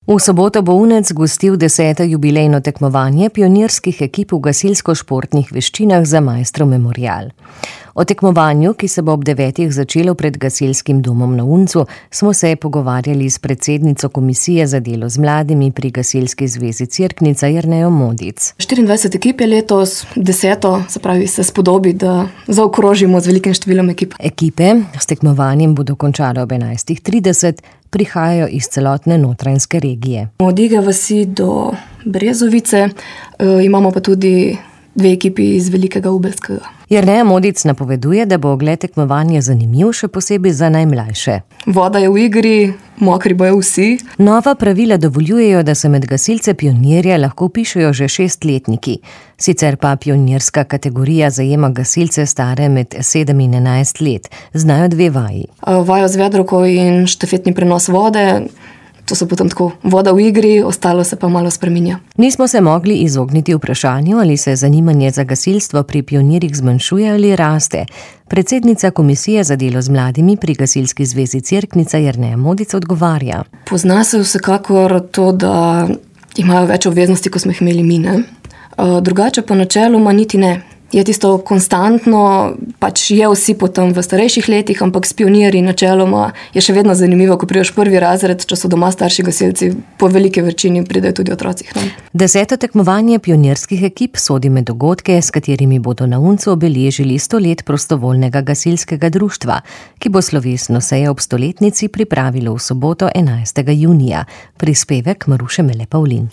V soboto bo Unec gostil 10. jubilejno tekmovanje pionirskih ekip v gasilsko-športnih veščinah za Maestro memorial. O tekmovanju, ki se bo ob 9. začelo pred gasilskim domom na Uncu, smo se pogovarjali s predsednico Komisije za delo z mladimi pri Gasilski zvezi Cerknica Jernejo Modic. 24 ekip je letos, 10. se pravi se spodobi, da zaokrožimo z velikim številom ekip. Ekipe s tekmovanjem bodo končale ob 11.30, prihajajo iz celotne Notranjske regije. Od Ige vasi do Brezovice, imamo pa tudi 2 ekipi iz Velikega Ubelskega. Jerneja Modic napoveduje, da bo ogled tekmovanja zanimiv, še posebej za najmlajše. Voda je v igri, mokri bojo vsi. Nova pravila dovoljujejo, da se med gasilce pionirje lahko vpišejo že 6-letniki. Sicer pa pionirska kategorija zajema gasilce stare med 7 in 11 let. Znajo 2 vaji. Vajo z vedrovko in štafetni prenos vode. To so potem tako voda v igri, ostalo se pa malo spreminja. Nismo se mogli izogniti vprašanju, ali se zanimanje za gasilstvo pri pionirjih zmanjšuje ali raste. Predsednica Komisije za delo z mladimi pri Gasilski zvezi Cerknica Jerneja Modic odgovarja. Pozna se vsekakor to, da imajo več obveznosti, kot smo jih imeli mi, ne? Drugače pa načeloma niti ne. Je tisto konstantno, pač je vsi potem v starejših letih, ampak s pionirji načeloma je še vedno zanimivo, ko prideš 1. razred, če so doma starši gasilci, po veliki večini pridejo tudi otroci. 10. tekmovanje pionirskih ekip sodi med dogodke, s katerimi bodo na Uncu obeležili 100 let prostovoljnega gasilskega društva, ki bo slovesno sejo ob stoletnici pripravilo v soboto 11. junija. Prispevek Maruše Mele Pavlin.